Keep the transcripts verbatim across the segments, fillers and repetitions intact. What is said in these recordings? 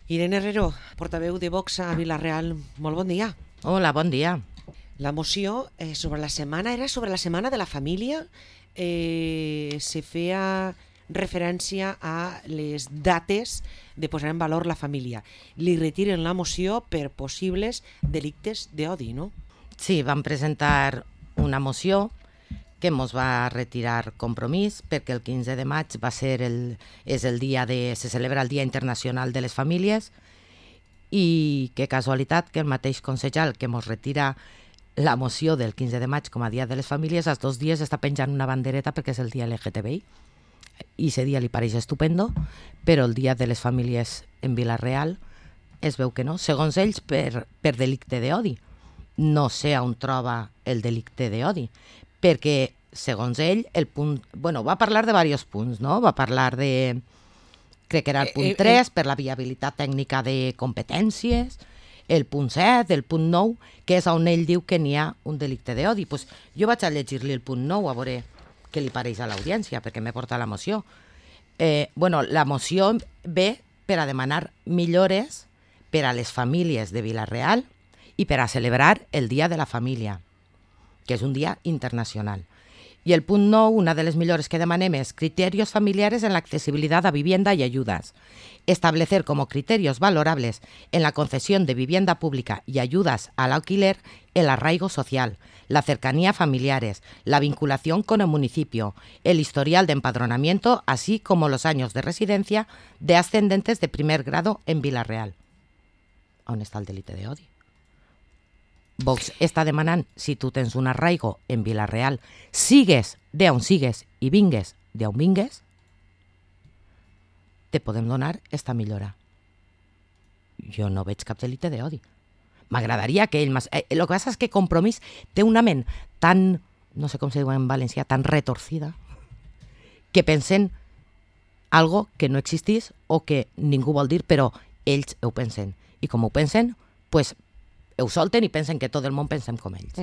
Irene Herrero, portaveu de Vox a Vila-real, molt bon dia. Hola, bon dia. La moció eh, sobre la setmana era sobre la setmana de la família. Eh, se feia referència a les dates de posar en valor la família. Li retiren la moció per possibles delictes d'odi, no? Sí, vam presentar una moció que mos va retirar Compromís perquè el quinze de maig va ser el, és el dia de, se celebra el Dia Internacional de les Famílies i que casualitat que el mateix consellal que mos retira la moció del quinze de maig com a Dia de les Famílies, als dos dies està penjant una bandereta perquè és el dia L G T B I i ese dia li pareix estupendo, però el Dia de les Famílies en Vila-real es veu que no, segons ells per, per delicte d'odi. No sé on troba el delicte d'odi, perquè, segons ell, el punt... Bueno, va parlar de diversos punts, no? Va parlar de... Crec que era el punt tres, per la viabilitat tècnica de competències, el punt set, el punt nou, que és on ell diu que n'hi ha un delicte d'odi. Pues jo vaig a llegir-li el punt nou, a veure què li pareix a l'audiència, perquè m'he portat la moció. Eh, bueno, la moció ve per a demanar millores per a les famílies de Vila-real i per a celebrar el Dia de la Família, que és un dia internacional. Y el punt nou, una de les millores que demanem és criterios familiares en la accesibilidad a vivienda y ayudas. Establecer como criterios valorables en la concesión de vivienda pública y ayudas al alquiler el arraigo social, la cercanía a familiares, la vinculación con el municipio, el historial de empadronamiento, así como los años de residencia de ascendentes de primer grado en Vila-real. On està el delicte d'odi? Vox està demanant, si tu tens un arraigo en Vila-real, sigues d'on sigues i vingues d'on vingues, te podem donar esta millora. Jo no veig cap delicte d'odi. M'agradaria que ell... Eh, el que passa és que Compromís té una ment tan, no sé com se diu en valencià, tan retorcida, que pensen algo que no existís o que ningú vol dir, però ells ho pensen. I com ho pensen, pues, ho solten i pensen que tot el món pensem com ells.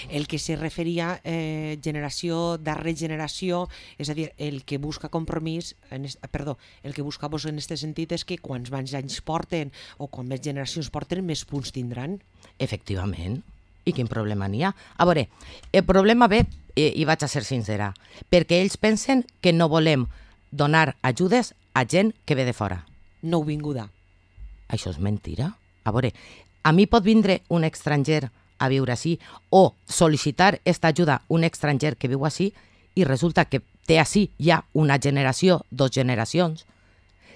El que se referia eh, generació darrere generació, és a dir, el que busca Compromís, en est, perdó, el que busca vos en aquest sentit és que quants més anys porten o quan més generacions porten, més punts tindran. Efectivament. I quin problema n'hi ha? A veure, el problema ve, i, i vaig a ser sincera, perquè ells pensen que no volem donar ajudes a gent que ve de fora. Nouvinguda. Això és mentira. A veure, a mi pot vindre un estranger a viure així o sol·licitar esta ajuda un estranger que viu així i resulta que té així ja una generació, dos generacions,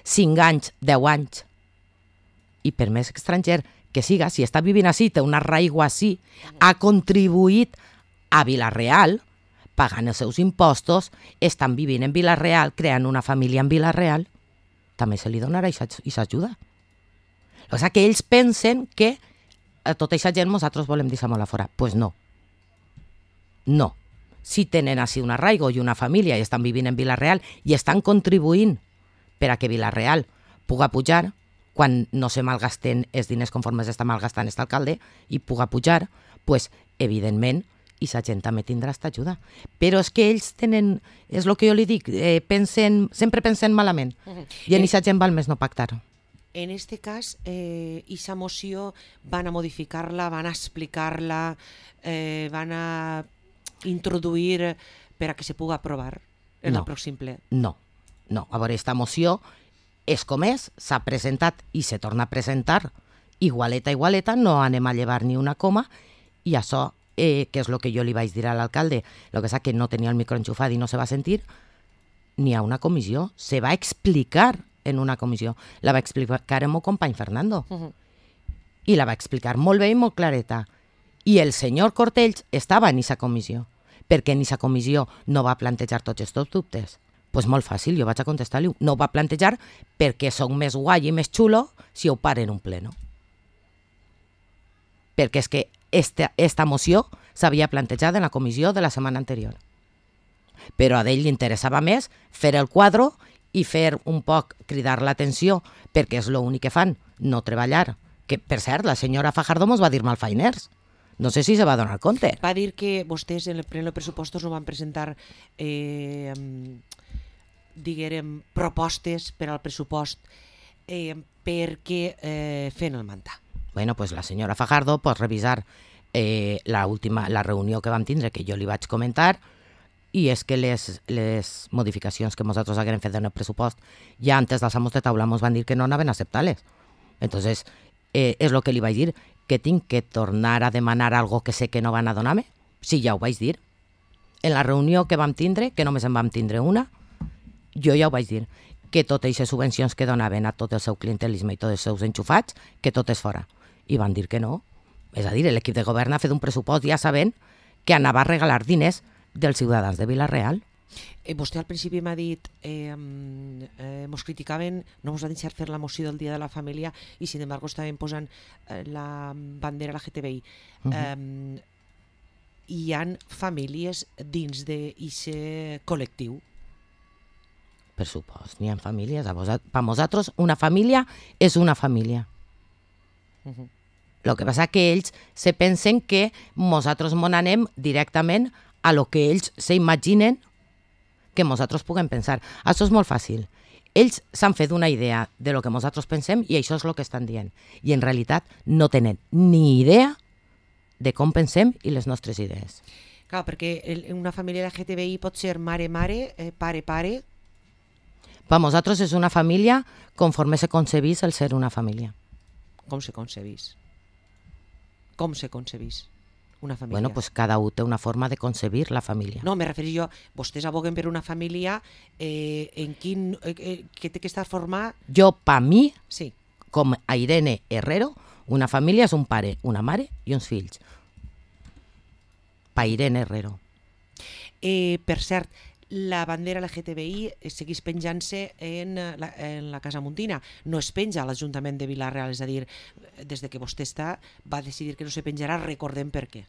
cinc anys, deu anys. I per més estranger que siga, si està vivint així, té un arraigo així, ha contribuït a Vila-real, pagant els seus impostos, estan vivint en Vila-real, creant una família en Vila-real, també se li donarà aquesta ajuda. O sigui que ells pensen que a tota aquesta gent nosaltres volem deixar molt a fora. Doncs pues no. No. Si tenen així un arraigo i una família i estan vivint en Vila-real i estan contribuint per a que Vila-real puga pujar, quan no se malgasten els diners conforme s'està malgastant aquest alcalde i puga pujar, pues, evidentment, aquesta gent també tindrà aquesta ajuda. Però és que ells tenen, és el que jo li dic, eh, pensen, sempre pensen malament. I en aquesta gent val més no pactar. En este cas, eh, esa moció van a modificar-la, van a explicar-la, eh, van a introduir per a que se pugui aprovar en no, el pròxim ple. No, no. A veure, esta moció és com és, s'ha presentat i se torna a presentar. Igualeta, igualeta, no anem a llevar ni una coma i això, eh, que és el que jo li vaig dir a l'alcalde, el que és que no tenia el micro enxufat i no se va sentir, n'hi ha una comissió, se va explicar en una comissió. La va explicar el meu company Fernando. Uh -huh. I la va explicar molt bé i molt clareta. I el senyor Cortells estava en aquesta comissió. perquè en aquesta comissió no va plantejar tots aquests dubtes? Doncs pues molt fàcil, jo vaig a contestar-li. No ho va plantejar perquè soc més guai i més xulo si ho paren un pleno. Perquè és que esta, esta moció s'havia plantejat en la comissió de la setmana anterior. Però a ell li interessava més fer el quadre i fer un poc cridar l'atenció, perquè és l'únic que fan, no treballar. Que, per cert, la senyora Fajardo mos va dir malfeiners. No sé si se va donar compte. Va dir que vostès en el pleno de pressupostos no van presentar eh, diguérem, propostes per al pressupost. Eh, perquè eh, fent el mantà. Bueno, pues la senyora Fajardo pot revisar eh, la, última, la reunió que vam tindre, que jo li vaig comentar, i és que les, les modificacions que nosaltres haguem fet en el pressupost ja antes dels amos de taula ens van dir que no anaven a acceptar-les. Entonces, eh, és el que li vaig dir, que tinc que tornar a demanar algo que sé que no van a donar-me. Sí, ja ho vaig dir. En la reunió que vam tindre, que només en vam tindre una, jo ja ho vaig dir, que totes aquestes subvencions que donaven a tot el seu clientelisme i tots els seus enxufats, que tot és fora. I van dir que no. És a dir, l'equip de govern ha fet un pressupost ja sabent que anava a regalar diners dels ciutadans de Vila-real. Eh, vostè al principi m'ha dit eh, eh, mos criticaven, no mos van deixar fer la moció del Dia de la Família i sin embargo estaven posant eh, la bandera L G T B I. Uh -huh. eh, hi han famílies dins d'aquest col·lectiu? Per supost, n'hi ha famílies. Per nosaltres una família és una família. Uh -huh. El que passa que ells se pensen que nosaltres mon anem directament a lo que ells s'imaginen que nosaltres puguem pensar. Això és molt fàcil. Ells s'han fet una idea de lo que nosaltres pensem i això és el que estan dient. I en realitat no tenen ni idea de com pensem i les nostres idees. Clar, perquè una família L G T B I pot ser mare-mare, eh, pare-pare. Per nosaltres és una família conforme se concebís el ser una família. Com se concebís? Com se concebís una família? Bueno, pues cada un té una forma de concebir la família. No, me refereixo jo, vostès aboguen per una família eh, en quin, eh, que té que estar formada... Jo, per mi, sí. Com a Irene Herrero, una família és un pare, una mare i uns fills. Per Irene Herrero. Eh, per cert, la bandera L G T B I segueix penjant-se en la, en la Casa Muntina. No es penja a l'Ajuntament de Vila-real, és a dir, des de que vostè està, va decidir que no se penjarà, recordem per què.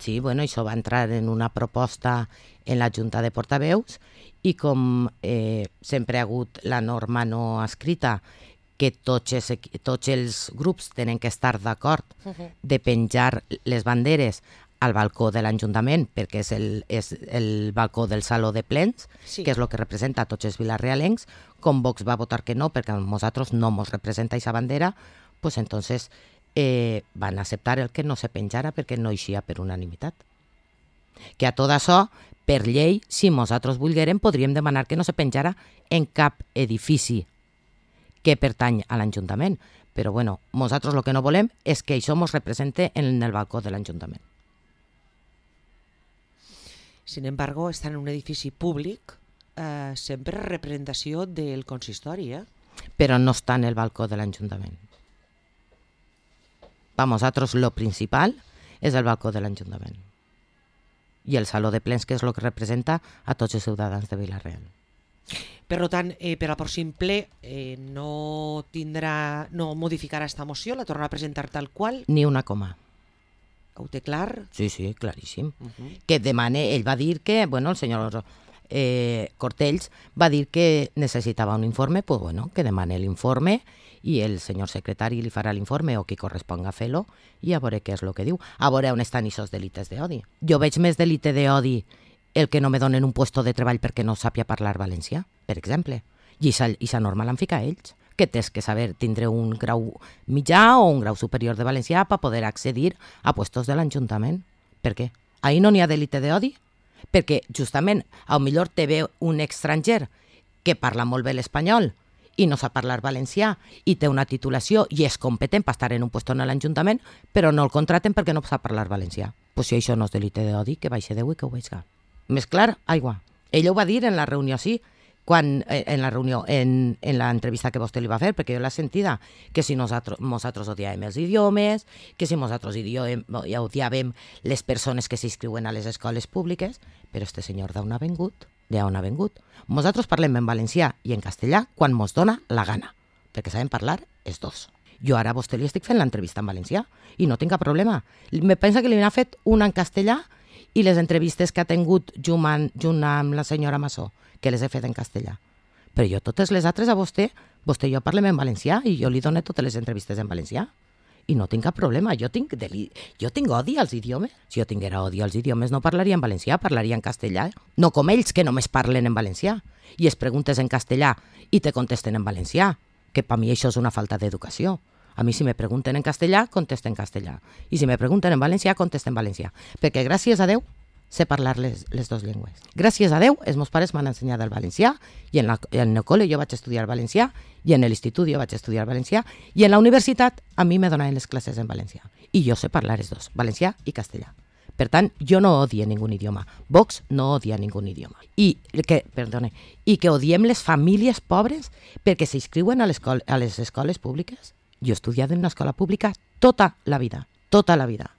Sí, bueno, això va entrar en una proposta en la Junta de Portaveus i com eh, sempre ha hagut la norma no escrita que tots els, tots els grups tenen que estar d'acord de penjar les banderes al balcó de l'Ajuntament, perquè és el, és el balcó del Saló de Plens, sí. Que és el que representa a tots els vilarrealencs. Com Vox va votar que no, perquè a nosaltres no ens representa aquesta bandera, pues entonces eh, van acceptar el que no se penjara perquè no eixia per unanimitat. Que a tot això, per llei, si nosaltres volguérem, podríem demanar que no se penjara en cap edifici que pertany a l'Ajuntament. Però bueno, nosaltres el que no volem és que això ens represente en el balcó de l'Ajuntament. Sin embargo, estan en un edifici públic, eh, sempre representació del consistori, eh? Però no està en el balcó de l'Ajuntament. Per nosaltres, lo principal és el balcó de l'Ajuntament. I el Saló de Plens, que és el que representa a tots els ciutadans de Vila-real. Per tant, eh, per a pròxim ple eh, no tindrà, no modificarà esta moció, la tornarà a presentar tal qual? Ni una coma. Ho té clar? Sí, sí, claríssim. Uh -huh. Que demane, ell va dir que, bueno, el senyor eh, Cortells va dir que necessitava un informe, pues bueno, que demane l'informe i el senyor secretari li farà l'informe o qui corresponga a fer-lo i a veure què és el que diu. A veure on estan aquests delites d'odi. Jo veig més delicte d'odi el que no me donen un puesto de treball perquè no sàpia parlar valencià, per exemple. I aquesta norma l'han ficat ells, que tens que saber tindre un grau mitjà o un grau superior de valencià per poder accedir a puestos de l'Ajuntament. Per què? Ahí no n'hi ha delicte d'odi? Perquè justament, a lo millor te ve un estranger que parla molt bé l'espanyol i no sap parlar valencià i té una titulació i és competent per estar en un puesto en l'Ajuntament, però no el contraten perquè no sap parlar valencià. Pues si això no és delicte d'odi, que vagi Déu i que ho veiga. Més clar, aigua. Ell ho va dir en la reunió, sí, quan, en la reunió, en, en la entrevista que vostè li va fer, perquè jo l'he sentida, que si nosaltres, nosaltres odiàvem els idiomes, que si nosaltres idiom, odiàvem les persones que s'inscriuen a les escoles públiques, però este senyor d'on ha vengut, d'on ha vengut. Nosaltres parlem en valencià i en castellà quan mos dona la gana, perquè sabem parlar els dos. Jo ara a vostè li estic fent l'entrevista en valencià i no tinc cap problema. Me pensa que li ha fet una en castellà i les entrevistes que ha tingut junt, junt amb la senyora Massó, que les he fet en castellà. Però jo totes les altres a vostè, vostè i jo parlem en valencià i jo li dono totes les entrevistes en valencià. I no tinc cap problema, jo tinc, deli... jo tinc odi als idiomes. Si jo tinguera odi als idiomes no parlaria en valencià, parlaria en castellà. No com ells que només parlen en valencià i es preguntes en castellà i te contesten en valencià. que per mi això és una falta d'educació. A mi si me pregunten en castellà, contesto en castellà. I si me pregunten en valencià, contesto en valencià. Perquè gràcies a Déu sé parlar les, les dues llengües. Gràcies a Déu, els meus pares m'han ensenyat el valencià i en, la, en el col·le jo vaig estudiar valencià i en l'institut jo vaig estudiar valencià i en la universitat a mi me donaven les classes en valencià. I jo sé parlar els dos, valencià i castellà. Per tant, jo no odie ningú idioma. Vox no odia ningú idioma. I que, perdone, i que odiem les famílies pobres perquè s'inscriuen a, a les escoles públiques. Jo he estudiat en una escola pública tota la vida, tota la vida.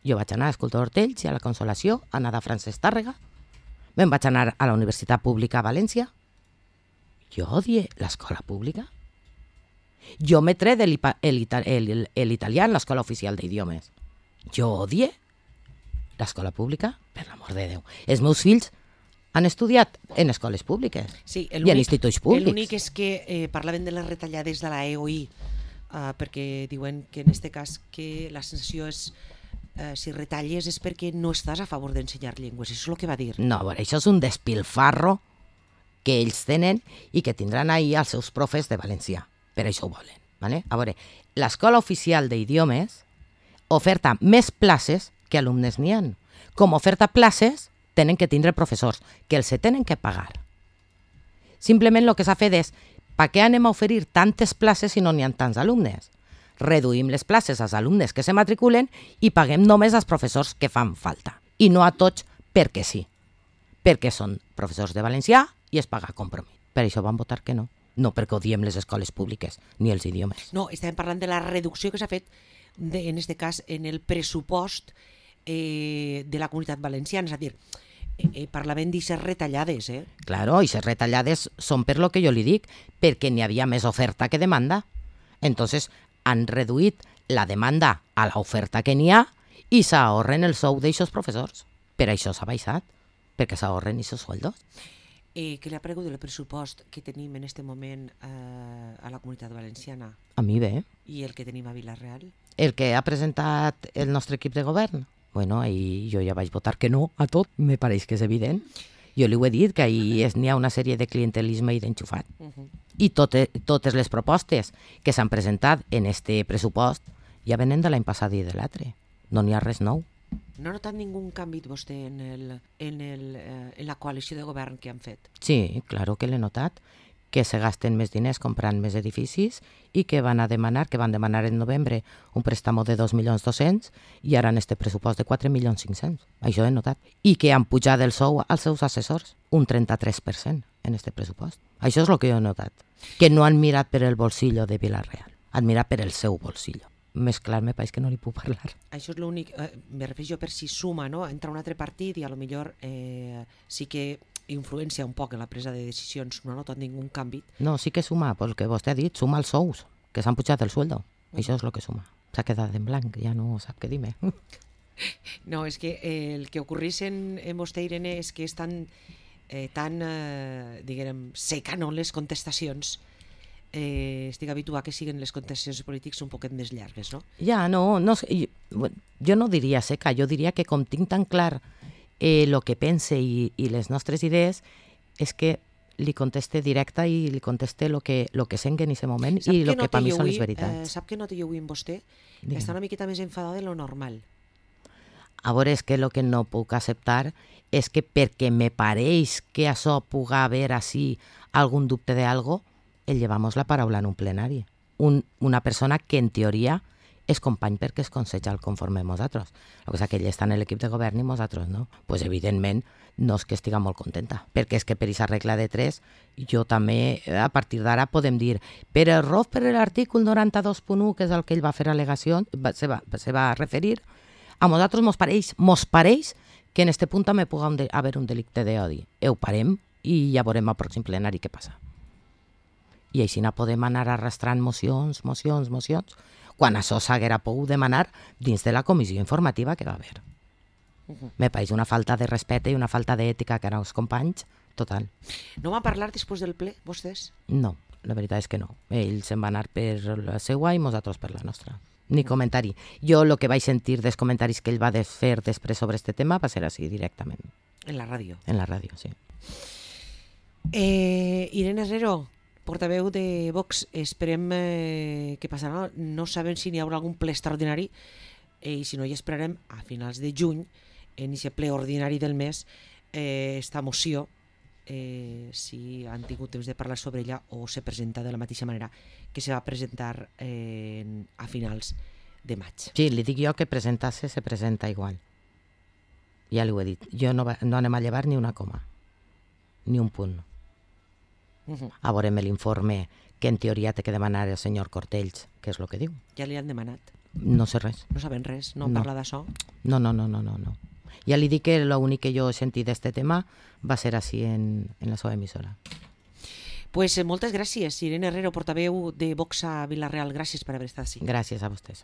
Jo vaig anar a Escolta d'Hortells i a la Consolació, a anar a Francesc Tàrrega. Me'n vaig anar a la Universitat Pública a València. Jo odie l'escola pública. Jo me tré de l'italià en l'escola oficial d'idiomes. Jo odie l'escola pública, per l'amor de Déu. Els meus fills han estudiat en escoles públiques sí, i en instituts públics. L'únic és que eh, parlaven de les retallades de la E O I, uh, perquè diuen que en aquest cas que la sensació és Uh, si retalles és perquè no estàs a favor d'ensenyar llengües, això és el que va dir. No, a veure, això és un despilfarro que ells tenen i que tindran ahir els seus profes de valencià. Per això ho volen. ¿Vale? A veure, l'escola oficial d'idiomes oferta més places que alumnes n'hi ha. Com oferta places, tenen que tindre professors, que els se tenen que pagar. Simplement el que s'ha fet és, per què anem a oferir tantes places si no n'hi ha tants alumnes? Reduïm les places als alumnes que se matriculen i paguem només als professors que fan falta. I no a tots perquè sí. Perquè són professors de valencià i es paga compromís. Per això van votar que no. No perquè odiem les escoles públiques ni els idiomes. No, estàvem parlant de la reducció que s'ha fet, de, en aquest cas, en el pressupost eh, de la Comunitat Valenciana. És a dir, eh, parlaven d'aixes retallades. Eh? Claro, i les retallades són per lo que jo li dic, perquè n'hi havia més oferta que demanda. Entonces, han reduït la demanda a l'oferta que n'hi ha i s'ahorren el sou d'aixòs professors. Per això s'ha baixat, perquè s'ahorren aquests sueldos. Eh, què li ha paregut el pressupost que tenim en aquest moment eh, a la Comunitat Valenciana? A mi bé. I el que tenim a Vila-real? El que ha presentat el nostre equip de govern? Bueno, ahir jo ja vaig votar que no a tot, me pareix que és evident. Jo li ho he dit, que ahir n'hi ha una sèrie de clientelisme i d'enxufat. Uh -huh. I totes, totes les propostes que s'han presentat en este pressupost ja venen de l'any passat i de l'altre. No n'hi ha res nou. No ha notat ningú canvi vostè en, el, en, el, eh, en la coalició de govern que han fet? Sí, claro que l'he notat, que se gasten més diners comprant més edificis i que van a demanar, que van demanar en novembre un préstamo de dos milions dos-cents i ara en este pressupost de quatre milions cinc-cents. Això he notat. I que han pujat el sou als seus assessors, un trenta-tres per cent en este pressupost. Això és el que jo he notat. Que no han mirat per el bolsillo de Vila-real, han mirat per el seu bolsillo. Més clar me pareix que no li puc parlar. Això és l'únic, eh, me refereixo per si suma, no? Entra un altre partit i a lo millor eh, sí que influència un poc en la presa de decisions, no ha notat ningú canvi. No, sí que suma, pel que vostè ha dit, suma els sous, que s'han pujat el sueldo. Mm. Això és el que suma. S'ha quedat en blanc, ja no sap què dir-me. No, és que eh, el que ocorrís en, en vostè, Irene, és que és tan, eh, tan eh, diguem, seca, no?, les contestacions. Eh, estic habituat que siguin les contestacions polítiques un poquet més llargues, no? Ja, no, no jo, jo no diria seca, jo diria que com tinc tan clar eh, lo que pense i, i les nostres idees, és que li conteste directa i li conteste lo que, lo que sent en aquest moment sap i lo que, que per mi són les veritats. Eh, sap que no té jo avui en vostè? Digue'm. Està una miqueta més enfadada de lo normal. A veure, és que el que no puc acceptar és que perquè me pareix que això puga haver així algun dubte de algo, el llevamos la paraula en un plenari. Un, una persona que en teoria és company perquè es conseja el conforme nosaltres. El que és que ell està en l'equip de govern i nosaltres no. Doncs pues, evidentment no és que estiga molt contenta, perquè és que per aquesta regla de tres jo també a partir d'ara podem dir per error per l'artícul noranta-dos punt u, que és el que ell va fer al·legació, se va, se va referir, a nosaltres mos pareix, mos pareix que en este punt també pugui un de, haver un delicte d'odi. Ho parem i ja veurem al pròxim plenari què passa. I així no podem anar arrastrant mocions, mocions, mocions, quan això s'haguera pogut demanar dins de la comissió informativa que va haver. Uh-huh. Me pareix una falta de respecte i una falta d'ètica que als companys, total. No van parlar després del ple, vostès? No, la veritat és que no. Ell se'n va anar per la seua i nosaltres per la nostra. Ni comentari. Jo el que vaig sentir dels comentaris que ell va fer després sobre este tema va ser així, directament. En la ràdio? En la ràdio, sí. Eh, Irene Herrero, Portaveu de Vox, esperem eh, que passarà. No sabem si n'hi haurà algun ple extraordinari eh, i si no, hi esperarem a finals de juny, en aquest ple ordinari del mes, eh, esta moció, eh, si han tingut temps de parlar sobre ella o se presenta de la mateixa manera que se va presentar eh, a finals de maig. Sí, li dic jo que presentar-se se presenta igual. Ja li ho he dit. Jo no, va, no anem a llevar ni una coma, ni un punt. Uh-huh. A veurem l'informe que en teoria té que demanar el senyor Cortells, que és el que diu. Ja li han demanat. No sé res. No saben res, no, No. parla d'això. No, no, no, no, no, no. Ja li dic que l'únic que jo he sentit d'este tema va ser així en, en la seva emissora. Pues eh, moltes gràcies, Irene Herrero, portaveu de Vox a Vila-real. Gràcies per haver estat així. Gràcies a vostès.